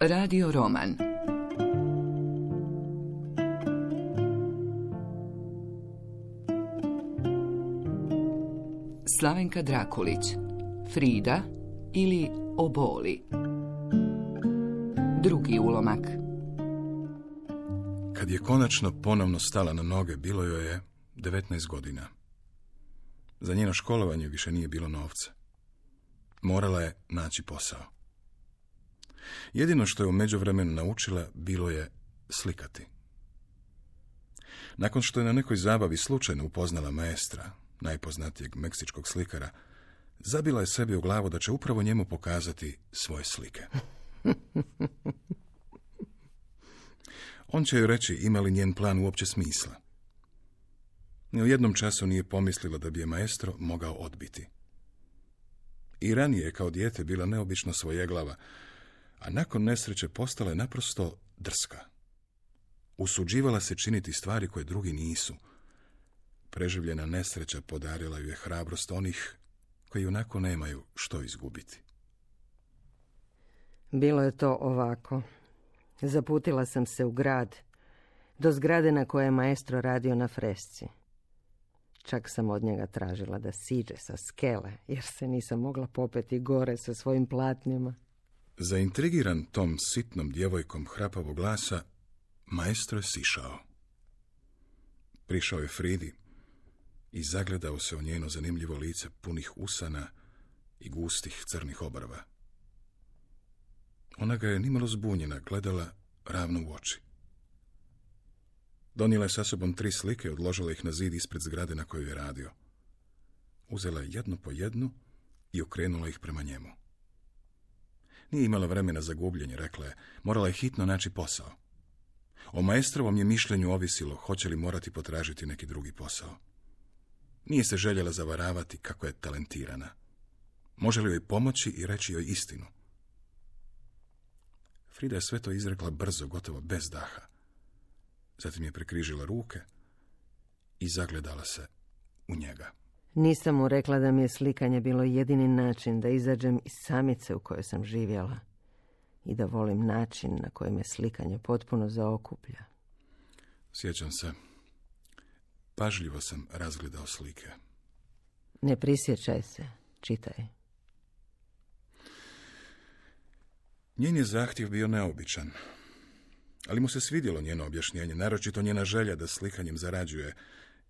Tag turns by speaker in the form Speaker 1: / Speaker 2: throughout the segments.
Speaker 1: Radio roman. Slavenka Drakulić, Frida ili Oboli. Drugi ulomak.
Speaker 2: Kad je konačno ponovno stala na noge, bilo joj je 19 godina. Za njeno školovanje više nije bilo novca. Morala je naći posao. Jedino što je u međuvremenu naučila bilo je slikati. Nakon što je na nekoj zabavi slučajno upoznala maestra, najpoznatijeg meksičkog slikara, zabila je sebi u glavu da će upravo njemu pokazati svoje slike. On će joj reći ima li njen plan uopće smisla. Ni u jednom času nije pomislila da bi je maestro mogao odbiti. I ranije je kao dijete bila neobično svojeglava, a nakon nesreće postala je naprosto drska. Usuđivala se činiti stvari koje drugi nisu. Preživljena nesreća podarila ju je hrabrost onih koji onako nemaju što izgubiti.
Speaker 3: Bilo je to ovako. Zaputila sam se u grad, do zgrade na kojoj je maestro radio na fresci. Čak sam od njega tražila da siđe sa skele, jer se nisam mogla popeti gore sa svojim platnjima.
Speaker 2: Zaintrigiran tom sitnom djevojkom hrapavog glasa, maestro je sišao. Prišao je Fridi i zagledao se u njeno zanimljivo lice punih usana i gustih crnih obrva. Ona ga je nimalo zbunjena gledala ravno u oči. Donijela je sa sobom 3 slike i odložila ih na zid ispred zgrade na kojoj je radio. Uzela je jednu po jednu i okrenula ih prema njemu. Nije imala vremena za gubljenje, rekla je, morala je hitno naći posao. O maestrovom je mišljenju ovisilo hoće li morati potražiti neki drugi posao. Nije se željela zavaravati kako je talentirana. Može li joj pomoći i reći joj istinu? Frida je sve to izrekla brzo, gotovo bez daha. Zatim je prekrižila ruke i zagledala se u njega.
Speaker 3: Nisam mu rekla da mi je slikanje bilo jedini način da izađem iz samice u kojoj sam živjela i da volim način na koji me slikanje potpuno zaokuplja.
Speaker 2: Sjećam se. Pažljivo sam razgledao slike.
Speaker 3: Ne prisjećaj se, čitaj.
Speaker 2: Njen je zahtjev bio neobičan, ali mu se svidjelo njeno objašnjenje, naročito njena želja da slikanjem zarađuje,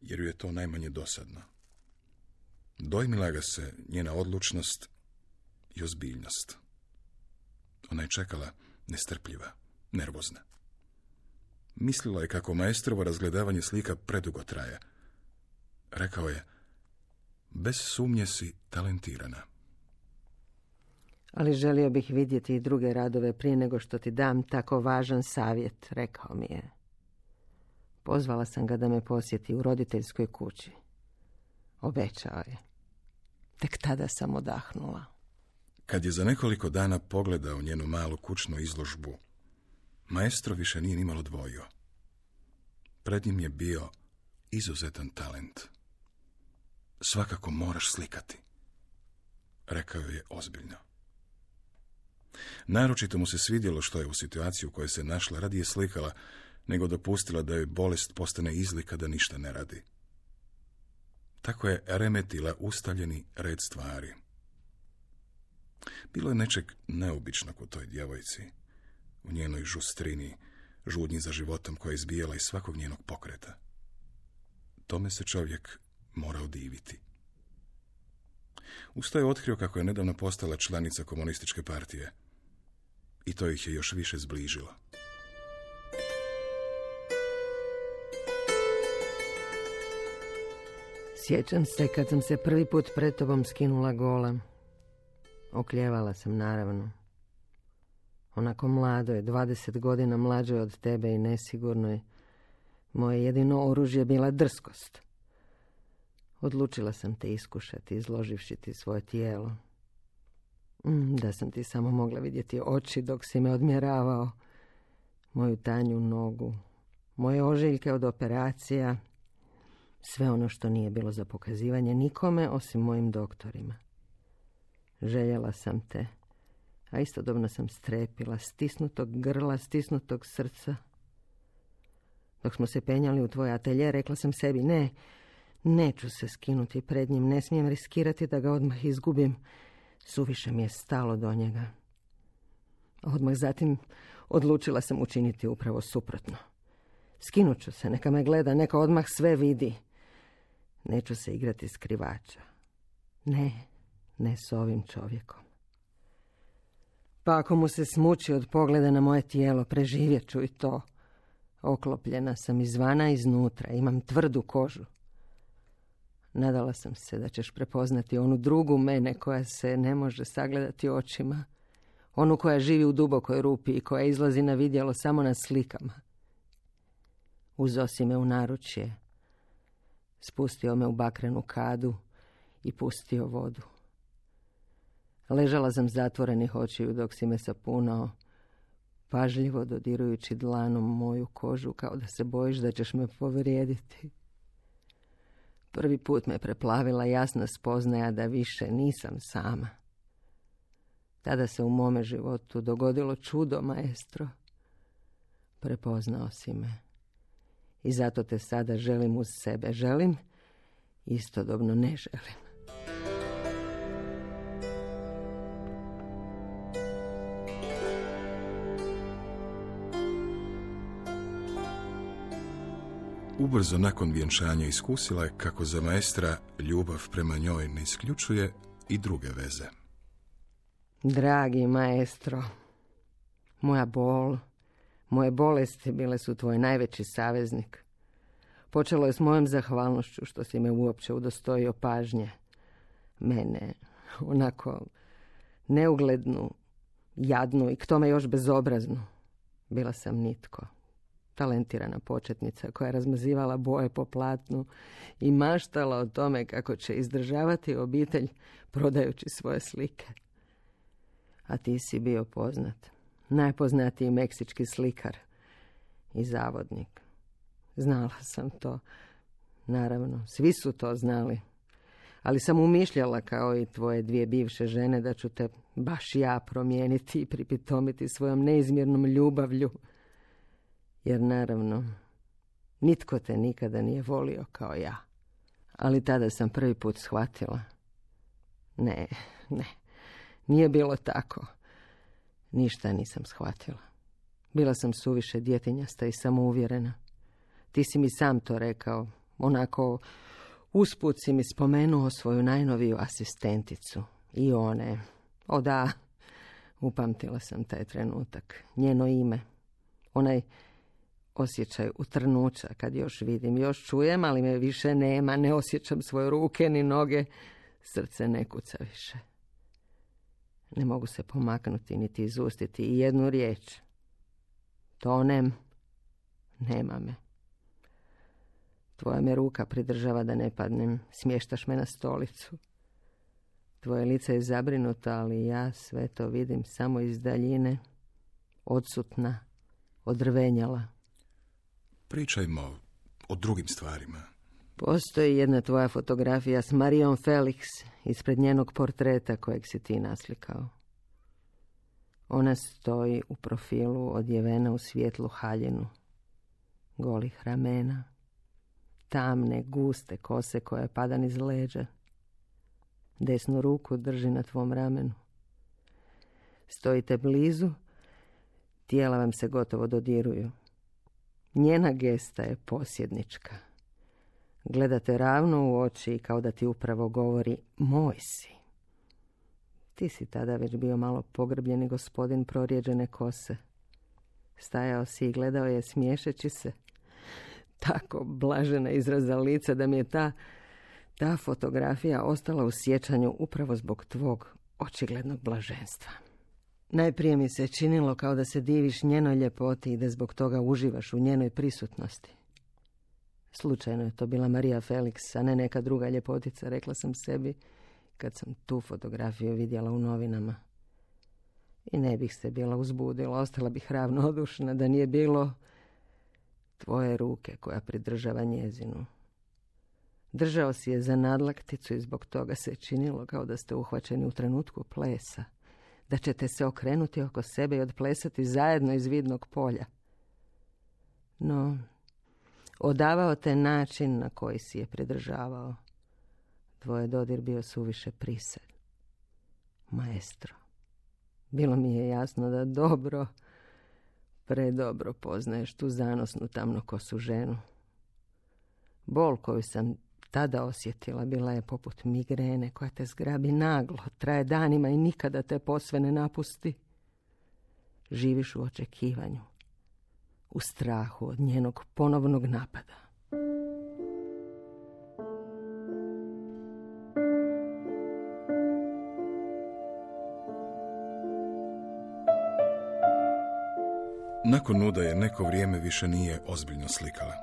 Speaker 2: jer ju je to najmanje dosadno. Dojmila ga se njena odlučnost i ozbiljnost. Ona je čekala nestrpljiva, nervozna. Mislila je kako maestrovo razgledavanje slika predugo traje. Rekao je, bez sumnje si talentirana.
Speaker 3: Ali želio bih vidjeti i druge radove prije nego što ti dam tako važan savjet, rekao mi je. Pozvala sam ga da me posjeti u roditeljskoj kući. Obećao je. Tek tada sam odahnula.
Speaker 2: Kad je za nekoliko dana pogledao njenu malu kućnu izložbu, maestro više nije nimalo dvojio. Pred njim je bio izuzetan talent. Svakako moraš slikati, rekao je ozbiljno. Naročito mu se svidjelo što je u situaciju u kojoj se našla radije slikala, nego dopustila da joj bolest postane izlika da ništa ne radi. Tako je remetila ustaljeni red stvari. Bilo je nečeg neobičnog u toj djevojci, u njenoj žustrini, žudnji za životom koja je izbijala iz svakog njenog pokreta. Tome se čovjek morao diviti. Uz to je otkrio kako je nedavno postala članica komunističke partije. I to ih je još više zbližilo.
Speaker 3: Sjećam se kad sam se prvi put pred tobom skinula gola. Okljevala sam, naravno. Onako mladoj, 20 godina mlađoj od tebe i nesigurnoj, moje jedino oružje bila drskost. Odlučila sam te iskušati, izloživši ti svoje tijelo. Da sam ti samo mogla vidjeti oči dok si me odmjeravao, moju tanju nogu, moje ožiljke od operacija, sve ono što nije bilo za pokazivanje nikome osim mojim doktorima. Željela sam te, a istodobno sam strepila, stisnutog grla, stisnutog srca. Dok smo se penjali u tvoj atelje, rekla sam sebi, ne, neću se skinuti pred njim, ne smijem riskirati da ga odmah izgubim. Suviše mi je stalo do njega. Odmah zatim odlučila sam učiniti upravo suprotno. Skinut ću se, neka me gleda, neka odmah sve vidi. Neću se igrati skrivača. Ne s ovim čovjekom. Pa ako mu se smuči od pogleda na moje tijelo, preživjet ću i to. Oklopljena sam izvana i iznutra, imam tvrdu kožu. Nadala sam se da ćeš prepoznati onu drugu mene koja se ne može sagledati očima. Onu koja živi u dubokoj rupi i koja izlazi na vidjelo samo na slikama. Uzosi me u naručje, spustio me u bakrenu kadu i pustio vodu. Ležala sam zatvorenih očiju dok si me sapunao, pažljivo dodirujući dlanom moju kožu kao da se bojiš da ćeš me povrijediti. Prvi put me preplavila jasna spoznaja da više nisam sama. Tada se u mome životu dogodilo čudo, maestro. Prepoznao si me. I zato te sada želim uz sebe. Želim, istodobno ne želim.
Speaker 2: Ubrzo nakon vjenčanja iskusila je kako za maestra ljubav prema njoj ne isključuje i druge veze.
Speaker 3: Dragi maestro, moja bol, moje bolesti bile su tvoj najveći saveznik. Počelo je s mojom zahvalnošću što si me uopće udostojio pažnje. Mene, onako neuglednu, jadnu i k tome još bezobraznu. Bila sam nitko. Talentirana početnica koja je razmazivala boje po platnu i maštala o tome kako će izdržavati obitelj prodajući svoje slike. A ti si bio poznat, najpoznatiji meksički slikar i zavodnik. Znala sam to, naravno, svi su to znali, ali sam umišljala kao i tvoje dvije bivše žene da ću te baš ja promijeniti i pripitomiti svojom neizmjernom ljubavlju. Jer naravno, nitko te nikada nije volio kao ja. Ali tada sam prvi put shvatila. Ne, nije bilo tako. Ništa nisam shvatila. Bila sam suviše djetinjasta i samouvjerena. Ti si mi sam to rekao. Onako, usput si mi spomenuo svoju najnoviju asistenticu. I one. O da, upamtila sam taj trenutak. Njeno ime. Onaj osjećaj utrnuća kad još vidim, još čujem, ali me više nema, ne osjećam svoje ruke ni noge, srce ne kuca više. Ne mogu se pomaknuti niti izustiti i jednu riječ. Tonem, nema me. Tvoja me ruka pridržava da ne padnem, smještaš me na stolicu. Tvoje lice je zabrinuto, ali ja sve to vidim samo iz daljine, odsutna, odrvenjala.
Speaker 2: Pričajmo o drugim stvarima.
Speaker 3: Postoji jedna tvoja fotografija s Marijom Felix ispred njenog portreta kojeg si ti naslikao. Ona stoji u profilu odjevena u svijetlu haljinu, golih ramena, tamne, guste kose koje pada niz leđa. Desnu ruku drži na tvom ramenu. Stojite blizu, tijela vam se gotovo dodiruju. Njena gesta je posjednička. Gledate ravno u oči i kao da ti upravo govori moj si. Ti si tada već bio malo pogrbljeni gospodin prorijeđene kose. Stajao si i gledao je smiješeći se. Tako blažena izraza lica da mi je ta fotografija ostala u sjećanju upravo zbog tvog očiglednog blaženstva. Najprije mi se činilo kao da se diviš njenoj ljepoti i da zbog toga uživaš u njenoj prisutnosti. Slučajno je to bila Marija Felix, a ne neka druga ljepotica, rekla sam sebi kad sam tu fotografiju vidjela u novinama. I ne bih se bila uzbudila, ostala bih ravnodušna da nije bilo tvoje ruke koja pridržava njezinu. Držao si je za nadlakticu i zbog toga se činilo kao da ste uhvaćeni u trenutku plesa. da ćete se okrenuti oko sebe i odplesati zajedno iz vidnog polja. No, odavao te način na koji si je pridržavao. Tvoj je dodir bio suviše prised. Maestro, bilo mi je jasno da dobro, predobro poznaješ tu zanosnu tamnokosu ženu. Bol koju sam tada osjetila bila je poput migrene koja te zgrabi naglo, traje danima i nikada te posve ne napusti. Živiš u očekivanju, u strahu od njenog ponovnog napada.
Speaker 2: Nakon Nuda je neko vrijeme više nije ozbiljno slikala.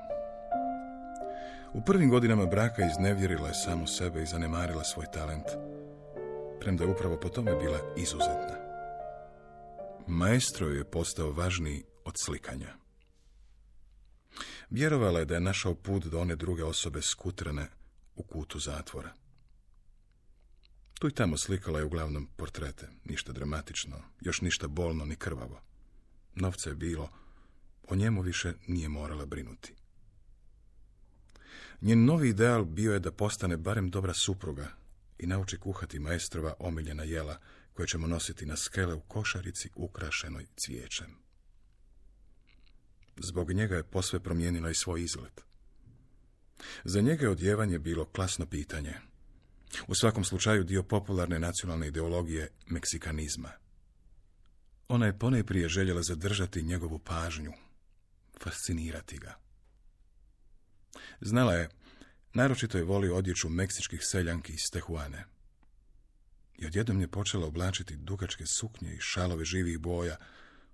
Speaker 2: U prvim godinama braka iznevjerila je samu sebe i zanemarila svoj talent, premda je upravo po tome bila izuzetna. Maestro je postao važniji od slikanja. Vjerovala je da je našao put do one druge osobe skutrane u kutu zatvora. Tu i tamo slikala je uglavnom portrete, ništa dramatično, još ništa bolno ni krvavo. Novca je bilo, o njemu više nije morala brinuti. Njen novi ideal bio je da postane barem dobra supruga i nauči kuhati maestrova omiljena jela koje ćemo nositi na skele u košarici ukrašenoj cvijećem. Zbog njega je posve promijenila i svoj izgled. Za njega je odjevanje bilo klasno pitanje. U svakom slučaju dio popularne nacionalne ideologije meksikanizma. Ona je ponajprije željela zadržati njegovu pažnju, fascinirati ga. Znala je, naročito je volio odjeću meksičkih seljanki iz Tehuane. I odjednom je počela oblačiti dugačke suknje i šalove živih boja,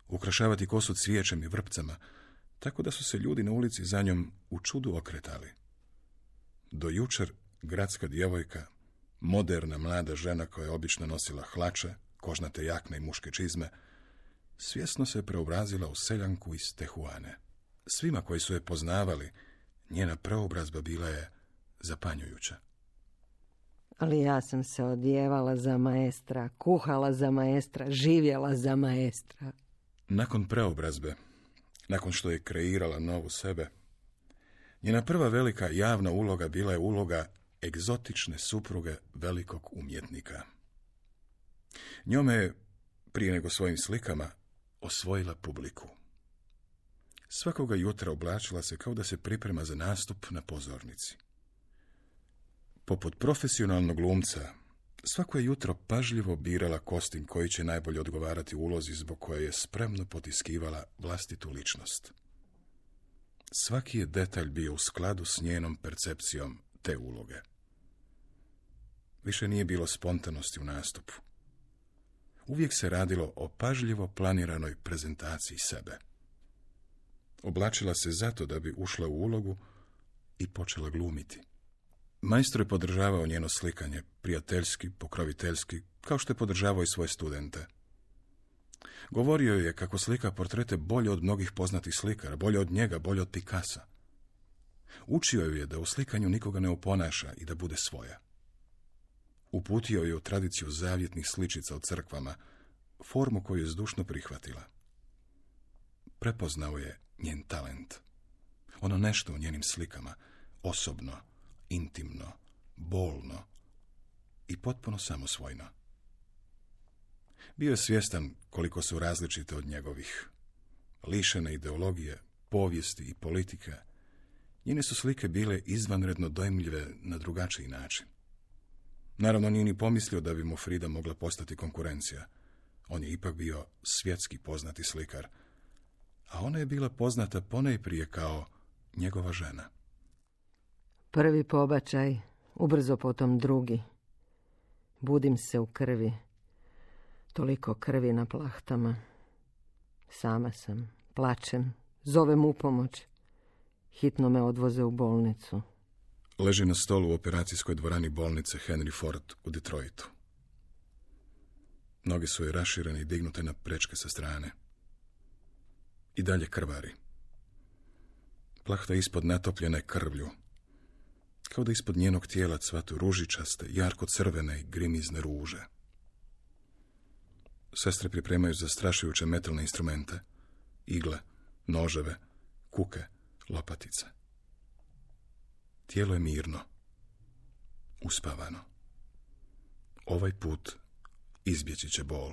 Speaker 2: ukrašavati kosu cvijećem i vrpcama, tako da su se ljudi na ulici za njom u čudu okretali. Do jučer gradska djevojka, moderna mlada žena koja je obično nosila hlače, kožnate jakne i muške čizme, svjesno se preobrazila u seljanku iz Tehuane. Svima koji su je poznavali, njena preobrazba bila je zapanjujuća.
Speaker 3: Ali ja sam se odjevala za maestra, kuhala za maestra, živjela za maestra.
Speaker 2: Nakon preobrazbe, nakon što je kreirala novu sebe, njena prva velika javna uloga bila je uloga egzotične supruge velikog umjetnika. Njome je, prije nego svojim slikama, osvojila publiku. Svakoga jutra oblačila se kao da se priprema za nastup na pozornici. Poput profesionalnog glumca, svako je jutro pažljivo birala kostim koji će najbolje odgovarati ulozi zbog koje je spremno potiskivala vlastitu ličnost. Svaki je detalj bio u skladu s njenom percepcijom te uloge. Više nije bilo spontanosti u nastupu. Uvijek se radilo o pažljivo planiranoj prezentaciji sebe. Oblačila se zato da bi ušla u ulogu i počela glumiti. Maestro je podržavao njeno slikanje, prijateljski, pokroviteljski, kao što je podržavao i svoje studente. Govorio je kako slika portrete bolje od mnogih poznatih slikara, bolje od njega, bolje od Picassa. Učio ju je da u slikanju nikoga ne oponaša i da bude svoja. Uputio je u tradiciju zavjetnih sličica u crkvama, formu koju je zdušno prihvatila. Prepoznao je njen talent. Ono nešto u njenim slikama, osobno, intimno, bolno i potpuno samosvojno. Bio je svjestan koliko su različite od njegovih. Lišene ideologije, povijesti i politike, njene su slike bile izvanredno dojmljive na drugačiji način. Naravno, nije ni pomislio da bi mu Frida mogla postati konkurencija. On je ipak bio svjetski poznati slikar, a ona je bila poznata ponajprije kao njegova žena.
Speaker 3: Prvi pobačaj, ubrzo potom drugi. Budim se u krvi. Toliko krvi na plahtama. Sama sam, plačem, zovem u pomoć. Hitno me odvoze u bolnicu.
Speaker 2: Leži na stolu u operacijskoj dvorani bolnice Henry Ford u Detroitu. Noge su joj raširene i dignute na prečke sa strane. I dalje krvari. Plahta ispod natopljene krvlju, kao da ispod njenog tijela cvatu ružičaste, jarko crvene i grimizne ruže. Sestre pripremaju zastrašujuće metalne instrumente. Igle, noževe, kuke, lopatice. Tijelo je mirno. Uspavano. Ovaj put izbjeći će bol.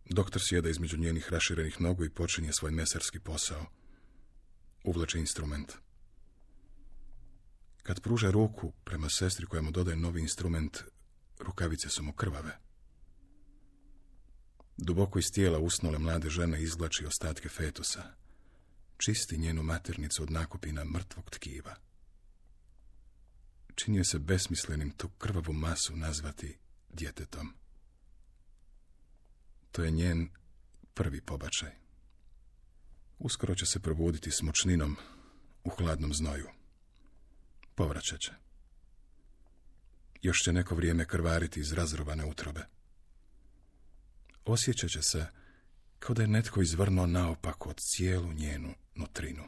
Speaker 2: Doktor sjeda između njenih raširenih nogu i počinje svoj mesarski posao. Uvlači instrument. Kad pruža ruku prema sestri koja mu dodaje novi instrument, rukavice su mu krvave. Duboko iz tijela usnule mlade žene izvlači ostatke fetusa. Čisti njenu maternicu od nakupina mrtvog tkiva. Činio se besmislenim tu krvavu masu nazvati djetetom. To je njen prvi pobačaj. Uskoro će se probuditi s mučninom u hladnom znoju. Povraćat će. Još će neko vrijeme krvariti iz razrovane utrobe. Osjećat će se kao da je netko izvrnuo naopako od cijelu njenu nutrinu.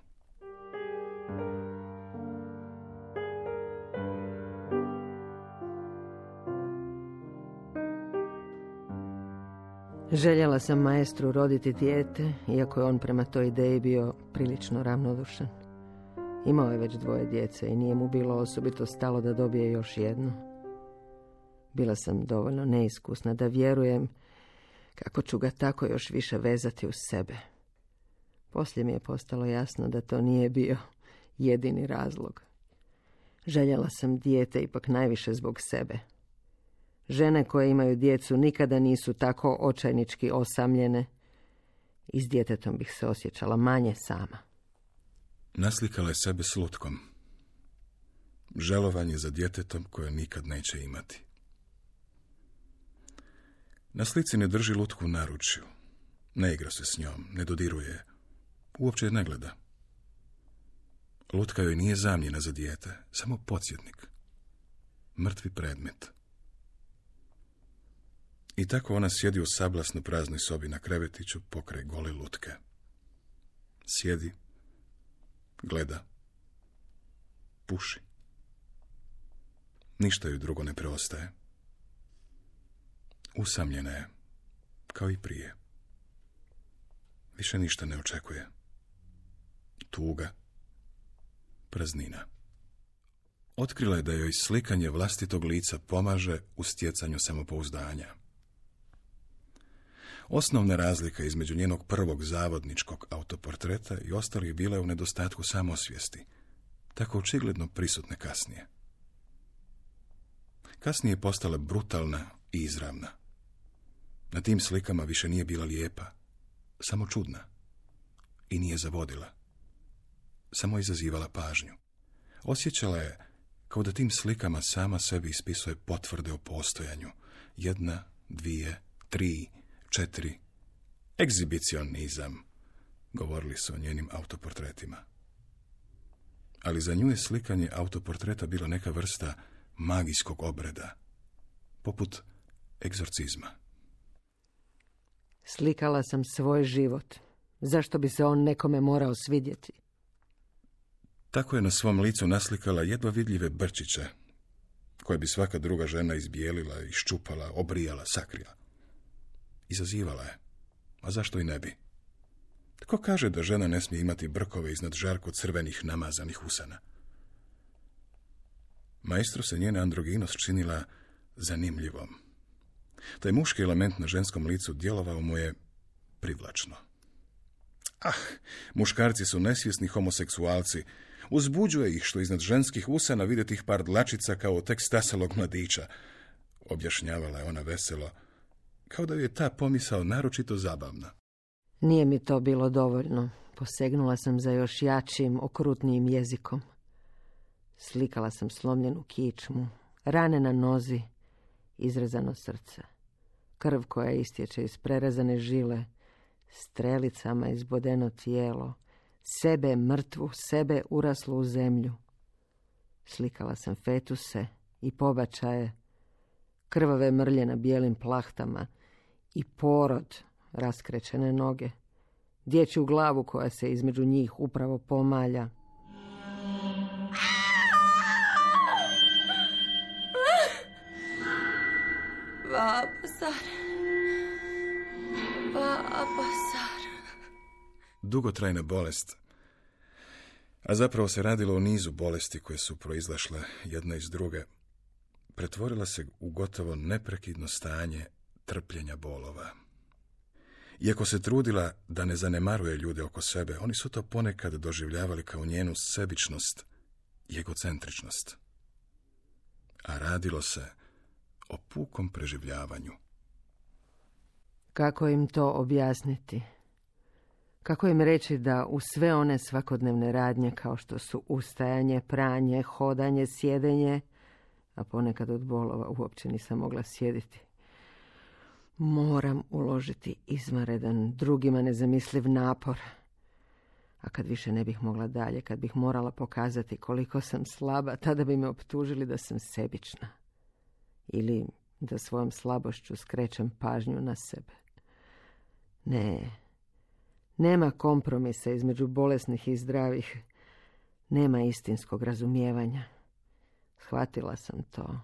Speaker 3: Željela sam maestru roditi dijete, iako je on prema toj ideji bio prilično ravnodušan. Imao je već 2 djece i nije mu bilo osobito stalo da dobije još jedno. Bila sam dovoljno neiskusna da vjerujem kako ću ga tako još više vezati uz sebe. Poslije mi je postalo jasno da to nije bio jedini razlog. Željela sam dijete ipak najviše zbog sebe. Žene koje imaju djecu nikada nisu tako očajnički osamljene i s djetetom bih se osjećala manje sama.
Speaker 2: Naslikala je sebe s lutkom. Žalovanje za djetetom koje nikad neće imati. Na slici ne drži lutku u naručju. Ne igra se s njom, ne dodiruje je. Uopće je ne gleda. Lutka joj nije zamjena za dijete, samo podsjetnik. Mrtvi predmet. I tako ona sjedi u sablasno praznoj sobi na krevetiću pokraj gole lutke. Sjedi, gleda, puši. Ništa joj drugo ne preostaje. Usamljena je, kao i prije. Više ništa ne očekuje. Tuga, praznina. Otkrila je da joj slikanje vlastitog lica pomaže u stjecanju samopouzdanja. Osnovna razlika između njenog prvog zavodničkog autoportreta i ostalih bila je u nedostatku samosvijesti, tako očigledno prisutne kasnije. Kasnije je postala brutalna i izravna. Na tim slikama više nije bila lijepa, samo čudna. I nije zavodila. Samo izazivala pažnju. Osjećala je kao da tim slikama sama sebi ispisuje potvrde o postojanju. 1, 2, 3, 4. Egzibicionizam, govorili su o njenim autoportretima. Ali za nju je slikanje autoportreta bila neka vrsta magijskog obreda, poput egzorcizma.
Speaker 3: Slikala sam svoj život. Zašto bi se on nekome morao svidjeti?
Speaker 2: Tako je na svom licu naslikala jedva vidljive brčiće, koje bi svaka druga žena izbijelila, iščupala, obrijala, sakrila. Izazivala je. A zašto i ne bi? Tko kaže da žena ne smije imati brkove iznad žarko crvenih namazanih usana? Maestru se njena androginost činila zanimljivom. Taj muški element na ženskom licu djelovao mu je privlačno. Muškarci su nesvjesni homoseksualci. Uzbuđuje ih što iznad ženskih usana vide tih par dlačica kao tek stasalog mladića, objašnjavala je ona veselo, kao da je ta pomisao naročito zabavna.
Speaker 3: Nije mi to bilo dovoljno. Posegnula sam za još jačim, okrutnijim jezikom. Slikala sam slomljenu kičmu, rane na nozi, izrezano srce. Krv koja istječe iz prerezane žile, strelicama izbodeno tijelo, sebe mrtvu, sebe uraslu u zemlju. Slikala sam fetuse i pobačaje, krvave mrlje na bijelim plahtama i porod, raskrečene noge, dječju glavu koja se između njih upravo pomalja.
Speaker 4: Vapasar.
Speaker 2: Dugotrajna bolest, a zapravo se radilo o nizu bolesti koje su proizlašle jedna iz druge, pretvorila se u gotovo neprekidno stanje trpljenja bolova. Iako se trudila da ne zanemaruje ljude oko sebe, oni su to ponekad doživljavali kao njenu sebičnost i egocentričnost. A radilo se o pukom preživljavanju.
Speaker 3: Kako im to objasniti? Kako im reći da u sve one svakodnevne radnje kao što su ustajanje, pranje, hodanje, sjedenje, a ponekad od bolova uopće nisam mogla sjediti, moram uložiti izvanredan, drugima nezamisliv napor. A kad više ne bih mogla dalje, kad bih morala pokazati koliko sam slaba, tada bi me optužili da sam sebična. Ili da svojom slabošću skrećem pažnju na sebe. Ne, nema kompromisa između bolesnih i zdravih. Nema istinskog razumijevanja. Shvatila sam to,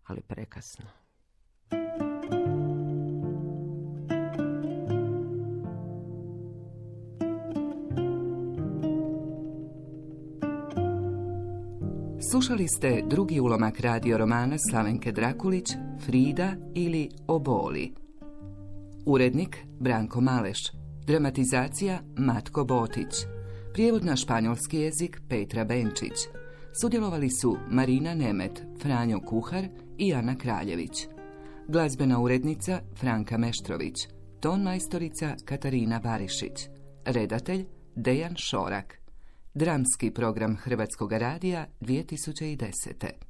Speaker 3: ali prekasno.
Speaker 1: Slušali ste drugi ulomak radio romana Slavenke Drakulić, Frida ili Oboli. Urednik Branko Maleš. Dramatizacija Matko Botić. Prijevod na španjolski jezik Petra Benčić. Sudjelovali su Marina Nemet, Franjo Kuhar i Ana Kraljević. Glazbena urednica Franka Meštrović. Tonmajstorica Katarina Barišić. Redatelj Dejan Šorak. Dramski program Hrvatskog radija 2010.